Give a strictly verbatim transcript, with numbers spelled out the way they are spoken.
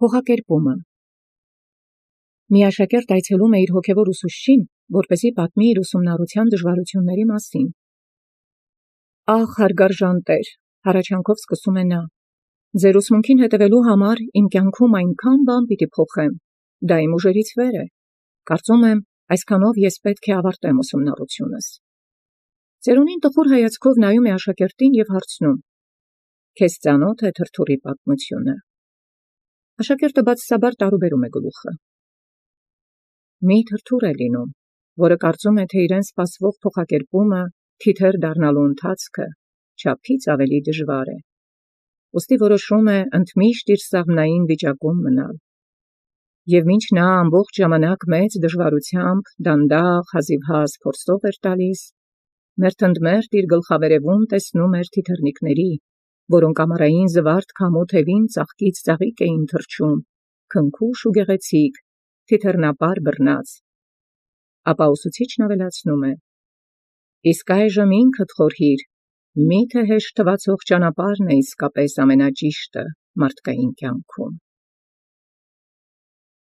Փոխակերպումը։ Մի աշակերտ այցելում է իր հոգևոր ուսուցչին, որպեսզի պատմի իր ուսումնառության դժվարությունների մասին։ Ահ, հարգարժան Տեր, հառաչանքով սկսում է նա. ձեր ուսմունքին հետևելու համար իմ կյանքում այնքան բան պիտի փոխեմ, դա իմ ուժերից վեր է։ Կարծում եմ, այսքանով ես պետք է ավարտեմ ուսումնառությունս։ Ծերունին տխուր հայացքով նայում է աշակերտին և հարցնում. Քեզ ծանոթ է թրթուրի պատմությունը։ Աշակերտը բացասաբար տարուբերում է գլուխը։ Մի թրթուր է լինում, որը կարծում է, թե իրեն սպասվող փոխակերպումը, թիթեռ դառնալու ընթացքը չափից ավելի դժվար է։ Ուստի որոշում է ընդմիշտ իր սաղմնային վիճակում մնալ։ Եվ մինչ նա ամբողջ ժամանակ մեծ դժվարությամբ, դանդաղ, հազիվհազ փորձով էր տալիս, մերթընդմերթ իր գլխավերևում տեսնում էր թիթեռնիկների, որոնք ամառային զվարթ քամու թևին ծաղկից ծաղիկ էին թռչում, քնքուշ ու գեղեցիկ, թիթեռնապար բռնած։ Ապա ուսուցիչն ավելացնում է. իսկ այժմ ինքդ խորհիր, միթե հեշտ թվացող ճանապարհն է իսկապես ամենաճիշտը մարդկային կյանքում։